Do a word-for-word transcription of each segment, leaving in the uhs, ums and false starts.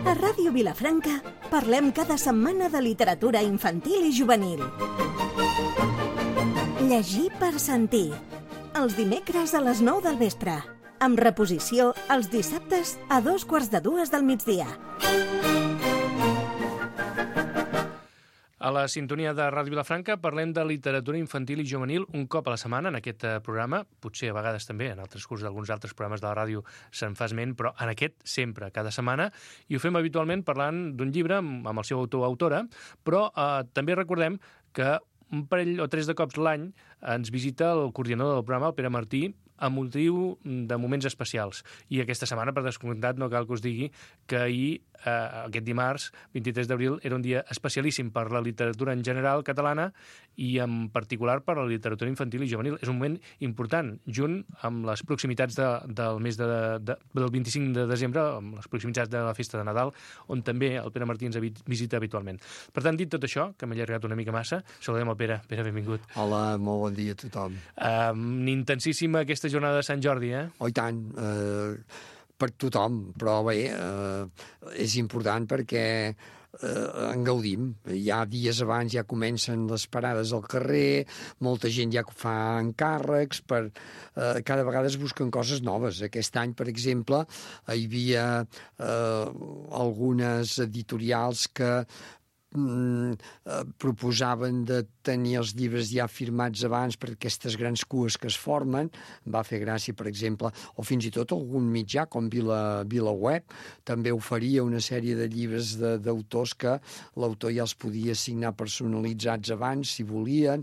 A Ràdio Vilafranca parlem cada setmana de literatura infantil i juvenil. Llegir per sentir. Els dimecres a les nou del vespre. Amb reposició els dissabtes a dos quarts de dues del migdia. A la sintonia de Ràdio Vilafranca parlem de literatura infantil i juvenil un cop a la setmana en aquest programa, potser a vegades també en el transcurs d'alguns altres programes de la ràdio se'n fa esment, però en aquest sempre, cada setmana, i ho fem habitualment parlant d'un llibre amb el seu autor o autora, però eh, també recordem que un parell o tres de cops l'any ens visita el coordinador del programa, el Pere Martí, a motiu de moments especials. I aquesta setmana, per descomptat, no cal que us digui que ahir, eh, aquest dimarts, vint-i-tres d'abril, era un dia especialíssim per la literatura en general catalana i en particular per la literatura infantil i juvenil. És un moment important, junt amb les proximitats de, del mes de, de, del vint-i-cinc de desembre, amb les proximitats de la festa de Nadal, on també el Pere Martí ens visita habitualment. Per tant, dit tot això, que m'he allargat una mica massa, saludem el Pere. Pere, benvingut. Hola, molt bon dia a tothom. Um, intensíssima aquesta jornada de Sant Jordi, eh? Oh, i tant, eh, per tothom, però bé, eh, és important perquè eh, en gaudim. Ja dies abans ja comencen les parades al carrer, molta gent ja fa encàrrecs, per, eh, cada vegada es busquen coses noves. Aquest any, per exemple, hi havia eh, algunes editorials que Mm, eh, proposaven de tenir els llibres ja firmats abans per aquestes grans cues que es formen. Em va fer gràcia, per exemple, o fins i tot algun mitjà com Vila, VilaWeb també oferia una sèrie de llibres d'autors que l'autor ja els podia signar personalitzats abans, si volien.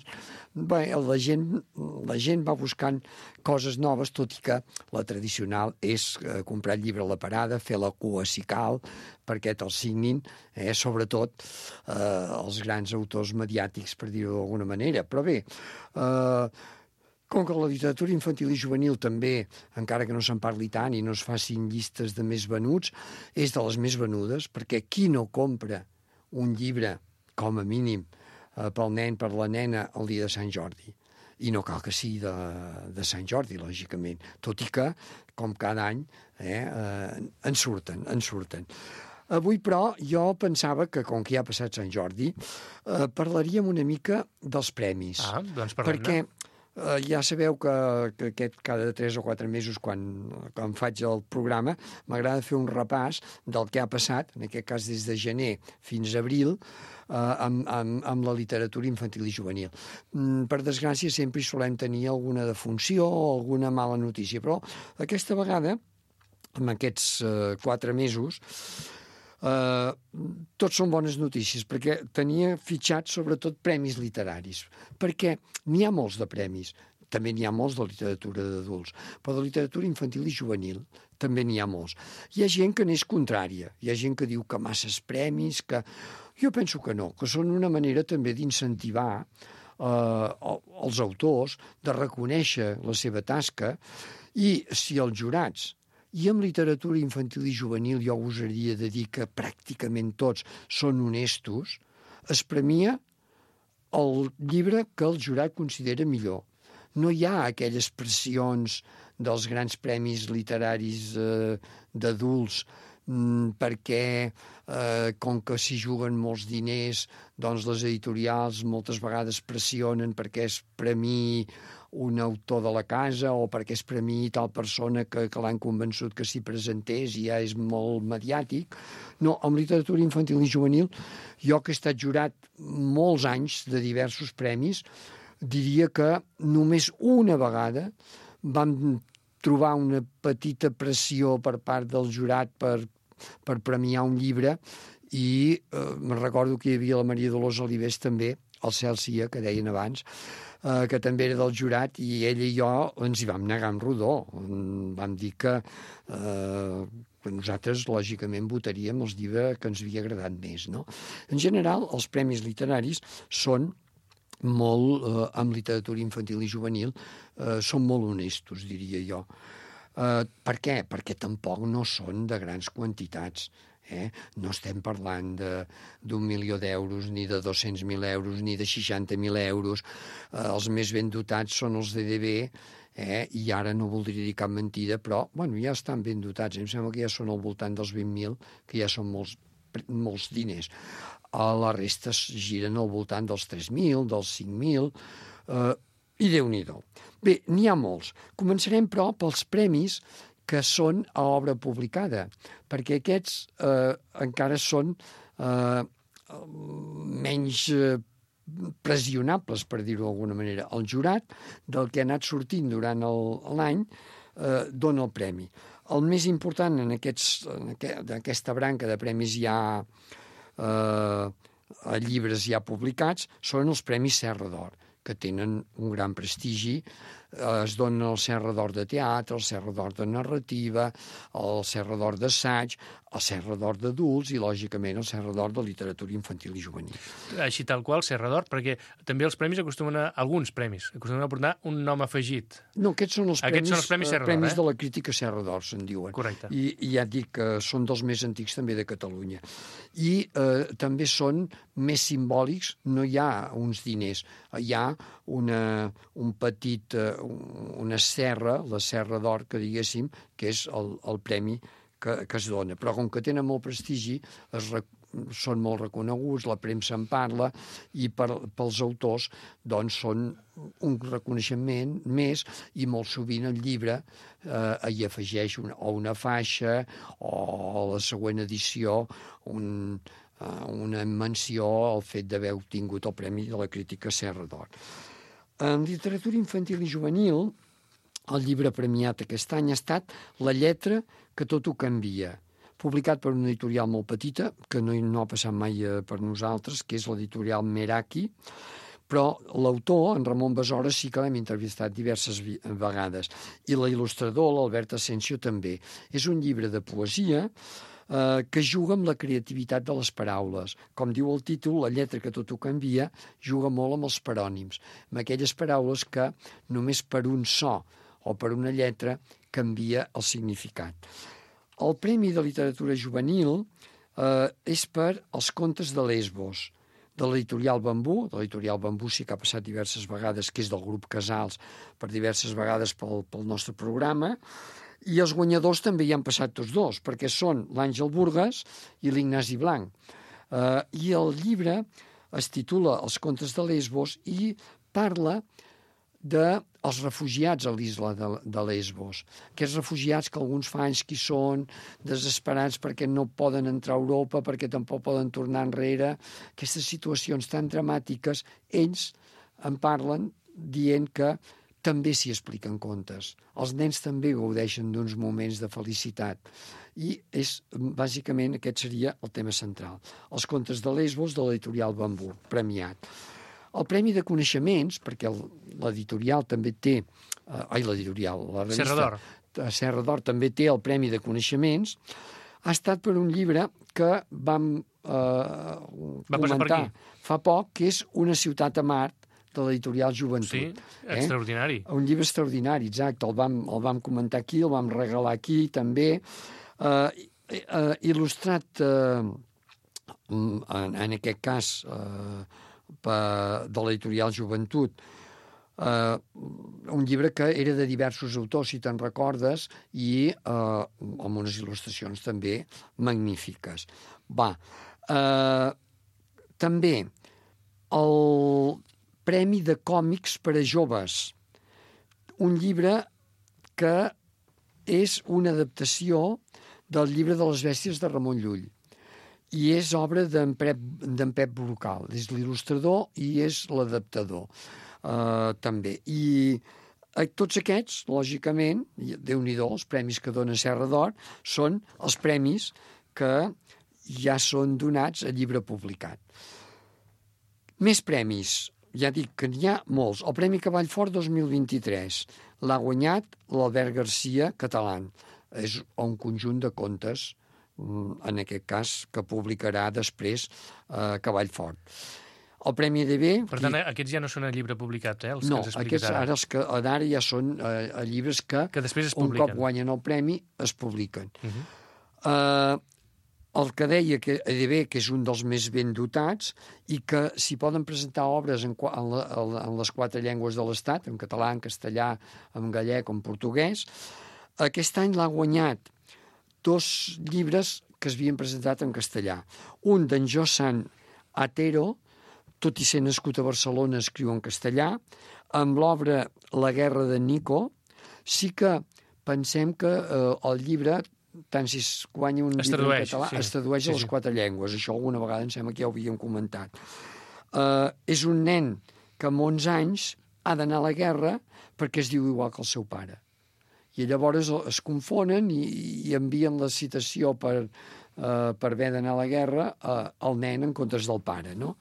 Bé, la gent, la gent va buscant coses noves, tot i que la tradicional és eh, comprar el llibre a la parada, fer la cua si cal, perquè te'l signin, eh, sobretot eh, els grans autors mediàtics, per dir-ho d'alguna manera. Però bé, eh, com que la literatura infantil i juvenil també, encara que no se'n parli tant i no es facin llistes de més venuts, és de les més venudes, perquè qui no compra un llibre, com a mínim, eh, pel nen, per la nena, el dia de Sant Jordi? I no cal que sigui de, de Sant Jordi, lògicament, tot i que, com cada any, eh, eh, en surten, en surten. Avui, però, jo pensava que, com que ja ha passat Sant Jordi, eh, parlaríem una mica dels premis. Ah, doncs parlem-ne. Perquè eh, ja sabeu que, que aquest cada tres o quatre mesos, quan, quan faig el programa, m'agrada fer un repàs del que ha passat, en aquest cas des de gener fins a abril, eh, amb, amb, amb la literatura infantil i juvenil. Mm, per desgràcia, sempre hi solem tenir alguna defunció o alguna mala notícia, però aquesta vegada, en aquests eh, quatre mesos, Uh, tots són bones notícies, perquè tenia fitxats sobretot premis literaris, perquè n'hi ha molts de premis, també n'hi ha molts de literatura d'adults, però de literatura infantil i juvenil també n'hi ha molts. Hi ha gent que n'és contrària, hi ha gent que diu que masses premis, que... Jo penso que no, que són una manera també d'incentivar uh, els autors, de reconèixer la seva tasca, i si els jurats i amb literatura infantil i juvenil jo gosaria de dir que pràcticament tots són honestos, es premia el llibre que el jurat considera millor. No hi ha aquelles pressions dels grans premis literaris eh, d'adults, mm, perquè eh, com que s'hi juguen molts diners, doncs les editorials moltes vegades pressionen perquè es premiï un autor de la casa o perquè es premiï tal persona que, que l'han convençut que s'hi presentés i ja és molt mediàtic. No, amb literatura infantil i juvenil, jo que he estat jurat molts anys de diversos premis, diria que només una vegada vam trobar una petita pressió per part del jurat per, per premiar un llibre i eh, me'n recordo que hi havia la Maria Dolors Olivés també, el Cel Cia, que deien abans, eh, que també era del jurat, i ella i jo ens hi vam negar amb rodó. Vam dir que, eh, que nosaltres, lògicament, votaríem els llibres que ens havia agradat més, no? En general, els premis literaris són molt, eh, amb literatura infantil i juvenil, eh, són molt honestos, diria jo. Eh, per què? Perquè tampoc no són de grans quantitats. Eh? No estem parlant d'un milió d'euros, ni de dos-cents mil euros, ni de seixanta mil euros. Eh, els més ben dotats són els de D B, eh? I ara no voldria dir cap mentida, però bueno, ja estan ben dotats. Em sembla que ja són al voltant dels vint mil, que ja són molts, molts diners. A la resta es giren al voltant dels tres mil, dels cinc mil, eh, i Déu-n'hi-do. Bé, n'hi ha molts. Començarem, però, pels premis que són a obra publicada, perquè aquests eh, encara són eh, menys eh, pressionables, per dir-ho d'alguna manera. El jurat, del que ha anat sortint durant l'any, eh, dona el premi. El més important en, aquests, en aquest, aquesta branca de premis ja eh, llibres ja publicats són els Premis Serra d'Or, que tenen un gran prestigi. Es donen el Serra d'Or de teatre, el Serra d'Or de narrativa, el Serra d'Or d'assaig, el Serra d'Or d'adults i, lògicament, el Serra d'Or de literatura infantil i juvenil. Així tal qual, Serra d'Or, perquè també els premis acostumen a... alguns premis, acostumen a portar un nom afegit. No, aquests són els aquests premis, són els premis Serra d'Or, premis eh? de la crítica Serra d'Or, se'n diuen. Correcte. I, I ja et dic que són dels més antics també de Catalunya. I eh, també són més simbòlics, no hi ha uns diners, hi ha una, un petit, eh, una serra, la Serra d'Or, que diguéssim, que és el, el premi que, que es dona. Però com que tenen molt prestigi, es, són molt reconeguts, la premsa en parla, i per, pels autors doncs són un reconeixement més, i molt sovint el llibre eh, hi afegeix una, o una faixa o a la següent edició un, eh, una menció al fet d'haver obtingut el Premi de la Crítica Serra d'Or. En literatura infantil i juvenil, el llibre premiat aquest any ha estat La lletra que tot ho canvia, publicat per una editorial molt petita, que no, no ha passat mai per nosaltres, que és l'editorial Meraki, però l'autor, en Ramon Besora, sí que l'hem entrevistat diverses vegades, i l'il·lustrador, l'Albert Asensio, també. És un llibre de poesia eh, que juga amb la creativitat de les paraules. Com diu el títol, La lletra que tot ho canvia, juga molt amb els parònims, amb aquelles paraules que només per un so o per una lletra canvia el significat. El Premi de Literatura Juvenil eh, és per Els contes de Lesbos, de l'editorial Bambú. De l'editorial Bambú sí que ha passat diverses vegades, que és del grup Casals, per diverses vegades pel, pel nostre programa, i els guanyadors també hi han passat tots dos, perquè són l'Àngel Burgas i l'Ignasi Blanc. Eh, I el llibre es titula Els contes de Lesbos i parla dels refugiats a l'isla de, de Lesbos. Aquests refugiats que alguns fa anys que hi són, desesperats perquè no poden entrar a Europa, perquè tampoc poden tornar enrere. Aquestes situacions tan dramàtiques, ells en parlen dient que també s'hi expliquen contes. Els nens també gaudeixen d'uns moments de felicitat. I és, bàsicament, aquest seria el tema central. Els contes de Lesbos, de l'editorial Bambú, premiat. El Premi de Coneixements, perquè l'editorial també té... Eh, ai, l'editorial, la revista... Serra d'Or. Serra d'Or també té el Premi de Coneixements. Ha estat per un llibre que vam eh, comentar fa poc, que és Una ciutat a Mart, de l'editorial Joventut. Sí, extraordinari. Eh? Un llibre extraordinari, exacte. El vam, el vam comentar aquí, el vam regalar aquí, també. Eh, eh, il·lustrat, eh, en, en aquest cas... Eh, de l'editorial Joventut, eh, un llibre que era de diversos autors, si te'n recordes, i eh, amb unes il·lustracions també magnífiques. Va, eh, també el Premi de Còmics per a Joves, un llibre que és una adaptació del llibre de les bèsties de Ramon Llull, i és obra d'en Pep, d'en Pep Brocal. És l'il·lustrador i és l'adaptador, eh, també. I eh, tots aquests, lògicament, Déu-n'hi-do, els premis que dona Serra d'Or, són els premis que ja són donats a llibre publicat. Més premis, ja dic que n'hi ha molts. El Premi Cavall Fort dos mil vint-i-tres l'ha guanyat l'Albert Garcia, català. És un conjunt de contes, en aquest cas, que publicarà després eh, Cavall Fort. El Premi E D B... Per tant, aquests ja no són a llibre publicat, eh? Els no, que ens aquests ara. ara, els que ara ja són eh, llibres que, que després es un publiquen. cop guanyen el premi, es publiquen. Uh -huh. eh, el que deia que E D B, que és un dels més ben dotats, i que s'hi poden presentar obres en, en, la, en les quatre llengües de l'Estat, en català, en castellà, en gallec, en portuguès. Aquest any l'ha guanyat dos llibres que es havien presentat en castellà. Un d'en Josan Atero, tot i ser nascut a Barcelona, escriu en castellà, amb l'obra La guerra de Nico. Sí que pensem que eh, el llibre, tant si es guanya un es llibre tradueix, en català, sí. es tradueix sí, a les sí. quatre llengües. Això alguna vegada em sembla que ja ho havíem comentat. Uh, és un nen que amb onze anys ha d'anar a la guerra perquè es diu igual que el seu pare. I llavors es confonen i, i envien la citació per, uh, per haver d'anar a la guerra uh, al nen en comptes del pare, no?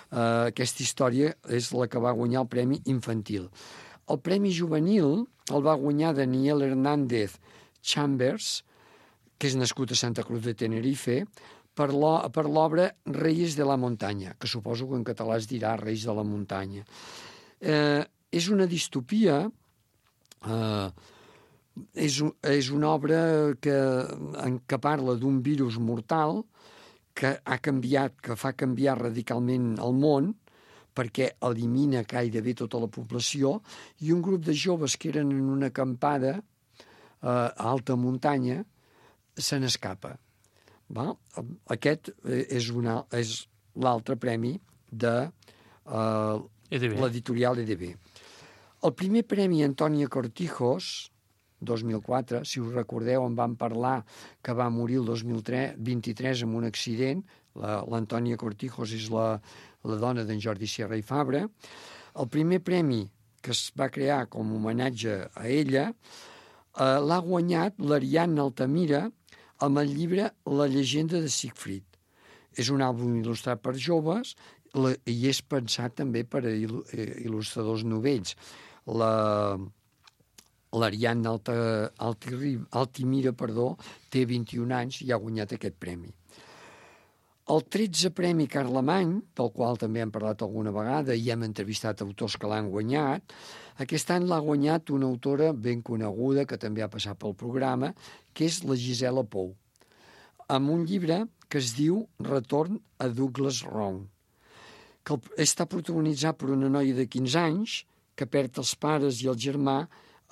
Uh, aquesta història és la que va guanyar el Premi Infantil. El Premi Juvenil el va guanyar Daniel Hernández Chambers, que és nascut a Santa Cruz de Tenerife, per l'obra Reyes de la Muntanya, que suposo que en català es dirà Reis de la Muntanya. Eh, és una distopia, eh, és, és una obra que, en què parla d'un virus mortal que ha canviat, que fa canviar radicalment el món, perquè elimina gairebé tota la població, i un grup de joves que eren en una acampada eh, a alta muntanya se n'escapa. Aquest és, una, és l'altre premi de uh, l'editorial E D B. El primer premi Antònia Cortijos, dos mil quatre, si us recordeu, en vam parlar que va morir el dos mil vint-i-tres en un accident. L'Antònia Cortijos és la, la dona d'en Jordi Sierra i Fabra. El primer premi que es va crear com a homenatge a ella eh, l'ha guanyat l'Ariadna Altamira amb el llibre La llegenda de Siegfried. És un àlbum il·lustrat per joves la, i és pensat també per a il, il·lustradors novells. La, l'Ariadna Alta, Altimira perdó, té vint-i-un anys i ha guanyat aquest premi. El tretzè Premi Carlemany, del qual també hem parlat alguna vegada i hem entrevistat autors que l'han guanyat, aquest any l'ha guanyat una autora ben coneguda que també ha passat pel programa, que és la Gisela Pou, amb un llibre que es diu Retorn a Douglas Round, que està protagonitzat per una noia de quinze anys que perd els pares i el germà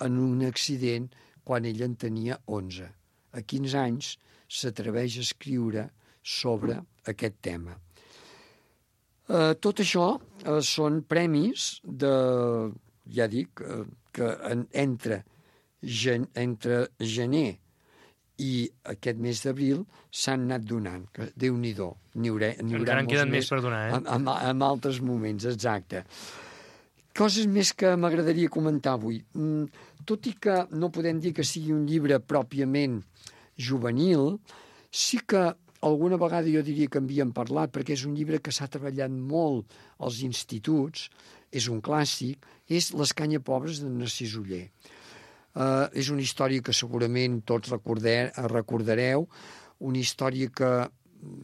en un accident quan ella en tenia onze. A quinze anys s'atreveix a escriure sobre aquest tema. Eh, tot això eh, són premis de, ja dic, eh, que en, entre, gen, entre gener i aquest mes d'abril s'han anat donant, que Déu-n'hi-do. N'hi haurà, n'hi haurà encara en queden més més per donar, eh? En, en, en altres moments, exacte. Coses més que m'agradaria comentar avui. Mm, tot i que no podem dir que sigui un llibre pròpiament juvenil, sí que alguna vegada jo diria que en havíem parlat, perquè és un llibre que s'ha treballat molt als instituts, és un clàssic, és L'Escanyapobres de Narcís Oller. Uh, és una història que segurament tots recorder, recordareu, una història que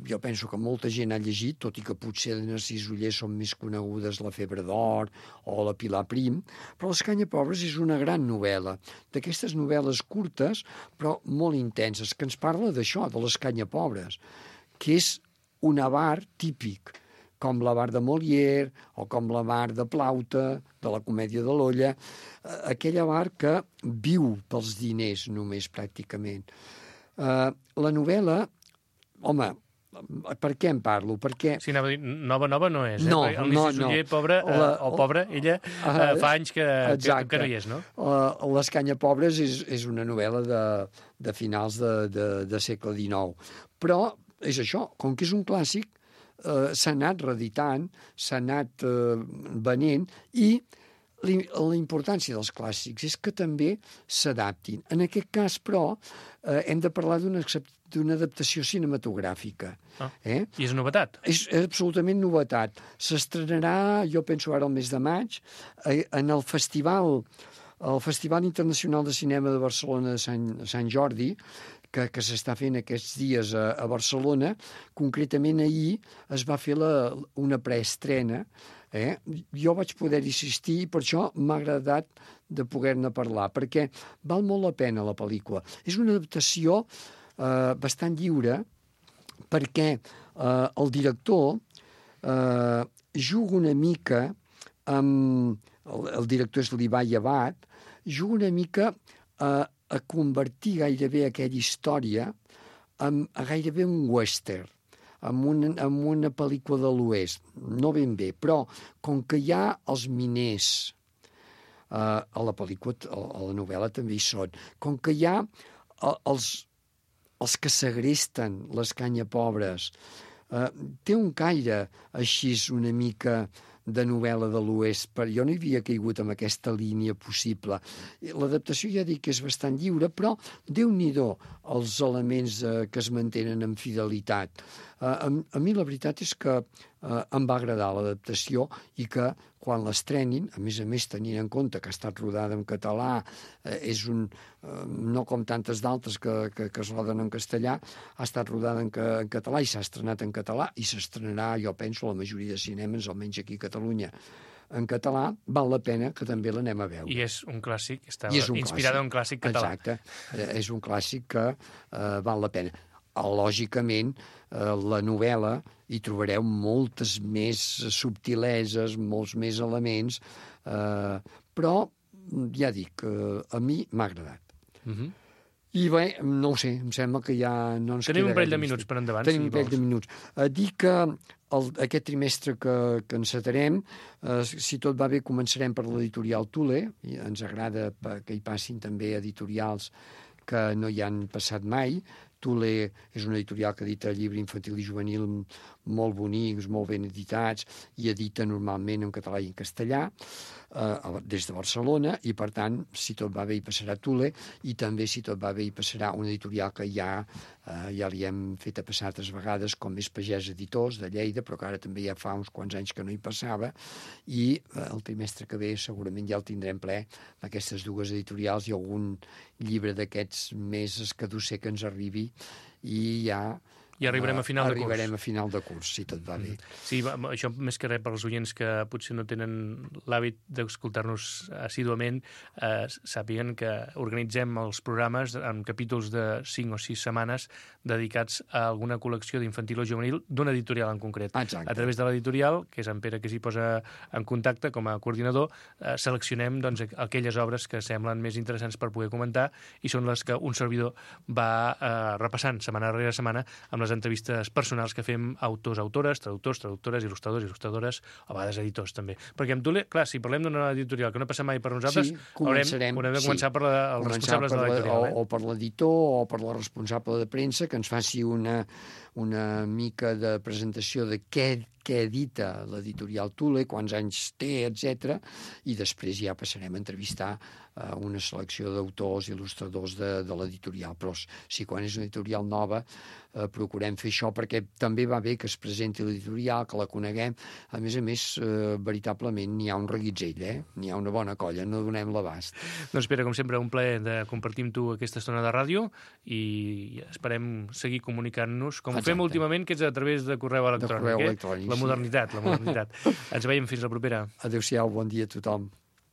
jo penso que molta gent ha llegit, tot i que potser de Narcís Oller són més conegudes La febre d'or o La Pilar Prim, però L'Escanyapobres és una gran novel·la, d'aquestes novel·les curtes però molt intenses, que ens parla d'això, de l'Escanyapobres, que és un avar típic, com l'avar de Molière o com l'avar de Plaute, de la comèdia de l'Olla, aquell avar que viu pels diners només, pràcticament. Uh, la novel·la, home, per què en parlo? Perquè... Sí, anava a dir, nova, nova no és, eh? No, el no, Narcís no. Oller, pobre, eh, la, o pobra, ella uh, fa anys que, que, que no hi és, no? Uh, L'Escanyapobres és, és una novel·la de, de finals de, de, de segle dinou. Però és això, com que és un clàssic, uh, s'ha anat reeditant, s'ha anat uh, venent, i la importància dels clàssics és que també s'adaptin. En aquest cas, però, eh, hem de parlar d'una d'una adaptació cinematogràfica. Ah, eh? I és novetat? És, és absolutament novetat. S'estrenarà, jo penso ara el mes de maig, eh, en el festival, el Festival Internacional de Cinema de Barcelona de Sant, Sant Jordi, que, que s'està fent aquests dies a, a Barcelona. Concretament ahir es va fer la, una preestrena. Eh? Jo vaig poder-hi assistir i per això m'ha agradat de poder-ne parlar, perquè val molt la pena la pel·lícula. És una adaptació eh, bastant lliure, perquè eh, el director eh, juga una mica amb... El, el director és l'Ibai Abad, juga una mica a, a convertir gairebé aquella història en, a gairebé un western, amb una, amb una pel·lícula de l'Oest. No ben bé, però com que hi ha els miners, eh, a la pel·lícula, a la novel·la també hi són, com que hi ha els, els que segresten les canyapobres, eh, té un caire així una mica de novel·la de l'Oest, però jo no hi havia caigut amb aquesta línia possible. L'adaptació ja dic que és bastant lliure, però Déu-n'hi-do els elements eh, que es mantenen amb fidelitat. Eh, a, a mi la veritat és que eh, em va agradar l'adaptació i que quan l'estrenin, a més a més tenint en compte que ha estat rodada en català, eh, és un, eh, no com tantes d'altres que, que, que es roden en castellà, ha estat rodada en, en català i s'ha estrenat en català i s'estrenarà, jo penso, a la majoria de cinemes, almenys aquí a Catalunya, en català, val la pena que també l'anem a veure. I és un clàssic, està un inspirat en un clàssic català. Exacte, és un clàssic que eh, val la pena. Lògicament, eh, la novel·la hi trobareu moltes més subtileses, molts més elements, eh, però ja dic, eh, a mi m'ha agradat. Mhm. I bé, no ho sé, em sembla que ja no ens Tenim queda un parell de gaire minuts més. per endavant, Tenim si un parell vols. de minuts. Eh, dir que el, aquest trimestre que, que encetarem, eh, si tot va bé, començarem per l'editorial Thule, i ens agrada que hi passin també editorials que no hi han passat mai. Thule és una editorial que edita llibre infantil i juvenil molt bonics, molt ben editats, i edita normalment en català i en castellà, eh, des de Barcelona, i per tant, si tot va bé, hi passarà Thule, i també, si tot va bé, hi passarà una editorial que ja, eh, ja li hem fet a passar altres vegades, com és Pagès Editors, de Lleida, però que ara també ja fa uns quants anys que no hi passava, i eh, el trimestre que ve segurament ja el tindrem ple d'aquestes dues editorials i algun llibre d'aquests més escadusser que ens arribi, i ja I arribarem a final de curs. Arribarem a final de curs, si tot va bé. Sí, va, això més que res per als oients que potser no tenen l'hàbit d'escoltar-nos assíduament, eh, sàpiguen que organitzem els programes en capítols de cinc o sis setmanes dedicats a alguna col·lecció d'infantil o juvenil d'una editorial en concret. Exacte. A través de l'editorial, que és en Pere que s'hi posa en contacte com a coordinador, eh, seleccionem doncs, aquelles obres que semblen més interessants per poder comentar i són les que un servidor va eh, repassant setmana rere setmana amb les entrevistes personals que fem a autors, autores, traductors, traductores, il·lustradors, il·lustradores, a vegades editors també. Perquè amb Thule, clar, si parlem d'una editorial que no passa mai per nosaltres, sí, començarem, haurem, haurem de començar sí. per la, els començar responsables per de l'editorial. La, eh? o, o per l'editor o per la responsable de premsa que ens faci una, una mica de presentació de què què edita l'editorial Thule, quants anys té, etcètera, i després ja passarem a entrevistar eh, una selecció d'autors i il·lustradors de, de l'editorial. Però si quan és una editorial nova eh, procurem fer això perquè també va bé que es presenti l'editorial, que la coneguem. A més a més, eh, veritablement n'hi ha un reguitzell, eh? N'hi ha una bona colla, no donem l'abast. Doncs Pere, com sempre, un plaer de compartir amb tu aquesta estona de ràdio i esperem seguir comunicant-nos, com Exacte. ho fem últimament, que és a través de correu electrònic. De correu eh? electrònic, La sí. modernitat, la modernitat. Ens veiem fins la propera. Adéu-siau, bon dia a tothom.